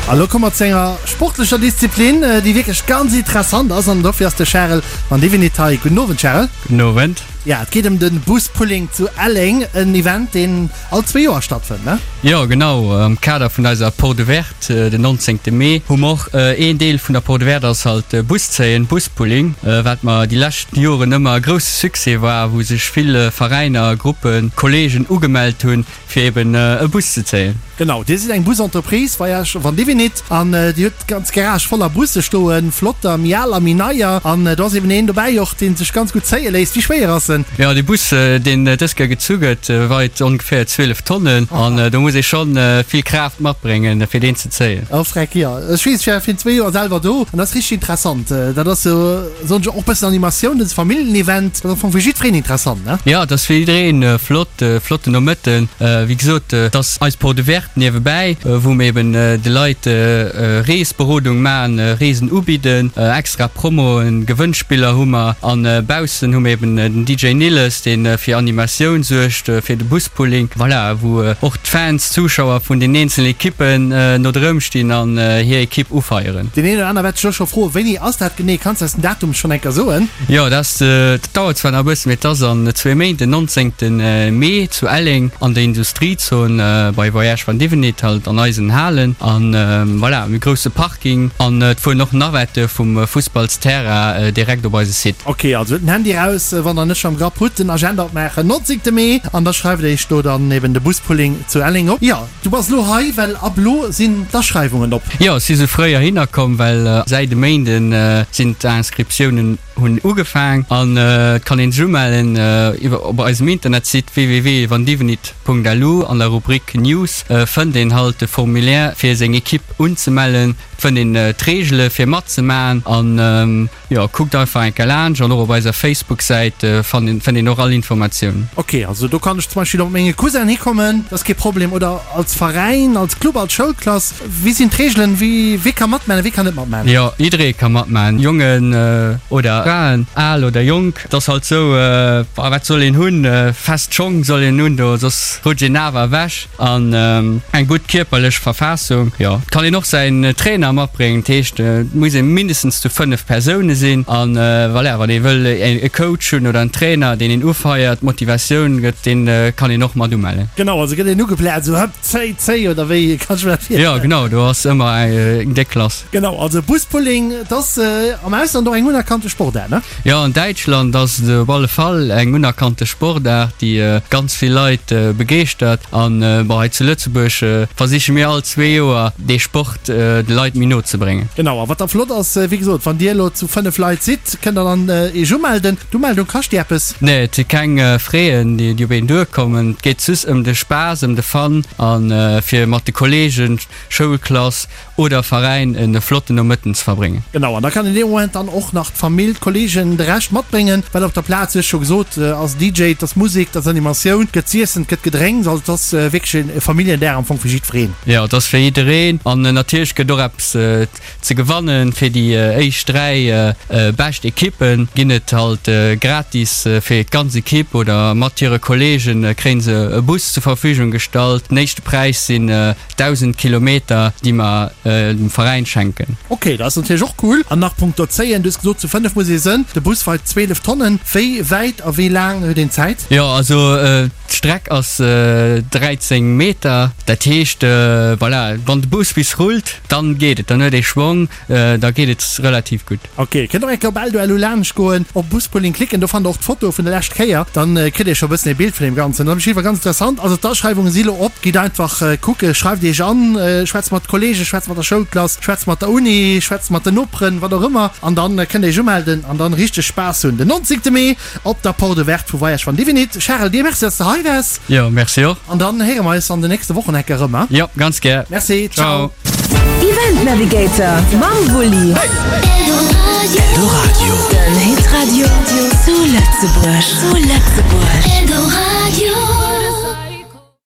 A lo komme mer zu enger sportlecher Disziplin, déi wierklech ganz interessant ass an dofir ass de Charel van Divinit hei. Gudden Owend, Charel. Gudden Owend. Ja, et geet ëm de Buspulling zu Elleng, en Event, deen all zwee Joer stattfënnt, ne? Jo, genau. Am Kader vun eiser Porte Ouverte den 19. Mee hu mer och een Deel vun der Porte Ouverte ass halt Buszéien, Buspulling, wat mer déi lescht Joren ëmmer e grousse Succès war, wou sech vill Veräiner, Gruppen, Kolleegen ugemellt hunn, fir eben e Bus ze zéien. Genau, dir sidd eng Busentreprise, Voyage Van Divinit, an dir hutt d'ganz Garage voller Busse stoen, flotter, méi al a méi neier, an do ass eben een dobäi och, dee sech ganz gutt zéie léisst. Wéi schwéier ass en? Jo, dee Bus, deen dës Kéier gezu gëtt, weit ongeféier 12 Tonnen, an do muss ee schonn vill Kraaft matbréngen, fir deen ze zéien. Oh freck, jo, ech weess, ech war virun zwee Joer selwer do, an dat ass richteg interessant. Dat ass sou. Soen ech och bëssen Animatioun, dëse Familljenevent, dat ass am Fong fir jiddwereen interessant, ne? Jo, et ass fir jiddereen flott, flotten Nomëtten. Wéi gesot, et ass eis Porte ouverte niewebäi, wou mir eben de Leit Reesberodung maachen, Reesen ubidden, extra Promoen, Gewënnspiller hu mer an baussen hu mir eben den DJ Nilles, dee fir Animatioun suergt, fir de Buspulling, voilà, wou och d'Fans, d'Zuschauer vun den eenzelen Ekippen no drëm stinn an hir Ekipp ufeieren. Deen een oder aner wäert sech elo scho froen, Wéini ass dat genee? Kanns de eis den Datum schonn eng Kéier soen? Jo, dat dauert zwar nach e bëssen, mee et ass an zwee Méint, den 19. Mee zu Elleng an der Industriezon bei Voyage van Divenit, halt an eisen Halen. An voilà, mir hu grousse Parking an et fueren och Navette vum Fussballsterrain direkt op eise Site. Ok, also huet den Handy eraus, wann der net scho am Grapp hutt, den Agenda opmaachen, 19. Mee, an da schreift der iech do dann eben de Buspulling zu Elleng op. Jo. Du bass elo hei, well ab elo sinn d'Aschreiwungen op. Jo, ech si sou fréi heihinner komm, well säit e Méinden sinn d'Inscriptiounen hunn ugefaang an et kann een sech umellen iwwer op eisem Internetsite www.vandivenit.lu. An der Rubrik News fënnt een halt de Formulaire fir seng Equipe unzemellen, et fënnt een d'Reegele fir matzemaachen an Jo, kuckt einfach eng Kéier laanscht an och op eiser Facebook-Säit fënnt een och all Informatiounen. Ok, also do kann ech zum Beispill och mat menge Cousin hikommen, dat ass kee Problem. Oder als Veräin, als Club, als Schoulklass. Wéi sinn d'Reegelen? Wie wie ka matmaachen a wie kann net matmaachen? Jo, jidderee ka matmaachen, Jongen oder Fraen, al oder jonk. Et ass halt sou, wat soll een hunn? Fest Schong soll een hunn, do soss rutscht een awer ewech. An eng gutt kierperlech Verfaassung. Jo, et kann een och säin Trainer matbréngen. Dat heescht, et muss ee mindestens zu 5 Persoune sinn. An voilà, wann ee wëll e Coach hunn oder en Trainer, deen een ufeiert, Motivatioun gëtt, dee kann een och mat umellen. Genau, also gëtt een ugeplärt, esou hëpp, zéi, zéi oder wéi kann ech mir dat virstellen? Jo, genau, do ass ëmmer eng déck Klass. Genau, also Buspulling, et ass am Ausland och eng unerkannte Sportaart, ne? Jo, an Däitschland ass et op alle Fall eng unerkannte Sportaart, déi ganz vill Leit begeeschtert. An bon, hei zu Lëtzebuerg versiche mir all zwee Joer dee Sport de Leit méi no ze bréngen. Genau, a wat da flott ass, wéi gesot, wann Dir elo zu 5 Leit sidd, kënnt Der dann Iech umelden. D'Umeldung kascht Dir eppes? Nee, et si keng Fräen, déi op een duerkommen. Et geet just ëm de Spaass, ëm de Fun a fir mat de Kolleegen, Schoulklass oder Veräin en flotten Nomëtten ze verbréngen. Genau, an da kann een dee Moment dann och nach d'Famill, d'Kollegen, de Rescht matbréngen, well op der Plaz, wéi scho gesot, ass DJ, et ass Musek, et ass Animatioun, et gëtt z'iessen, et gëtt gedrénks, also et ass wierklech e Familljendag am Fong fir jiddwereen. Jo, et ass fir jiddereen an natierlech gëtt och eppes ze gewannen. Fir déi éischt 3 bescht Ekippe ginn et halt gratis fir d'ganz Ekipp oder mat hire Kolleegen kréien se e Bus zur Verfügung gestallt. Den éischte Präis sinn 1.000 Kilometer, déi mer dem Veräin schenken. Ok, dat ass natierlech och cool. An nach punkto Zéien, du hues gesot zu 5 muss ee sënn, de Bus weit 12 Tonnen. Wéi wäit a wéi laang huet een Zäit? Jo, also d'Streck ass 13 Meter, dat heescht, voilà, wann de Bus bis rullt, dann geet et, dann huet ee Schwong, da geet et relativ gutt. Ok, kënnt och eng Kéier op Eldo LU laanscht goen, op Buspulling klicken, do fannt der och d'Foto vun der lescht Kéier, dann kritt dir scho e bëssen ee Bild vun deem Ganzen. Dat ass op jidde Fall ganz interessant. Also d'Aschreiwungen si lo op, gitt einfach kucke, schreift iech an, schwätzt mat Kollegen, schwätzt mat der Schoulklass, schwätzt mat der Uni, schwätzt mat den Noperen, wat och ëmmer, an dann kënnt dir iech umelden an dann richteg Spaass hunn den 19 Mee op der Porte Ouverte vu Voyage van Divinit. Charel, dir Merci, dass de hei waars. Jo, merci och. An dann héiere mer eis an den nächste Wochen enke rëm, hein? Jo, ganz gär. Merci, ciao. Event Navigator mam Wulli. Eldoradio. Den Hitradio zu Lëtzebuerg. Zu Lëtzebuerg.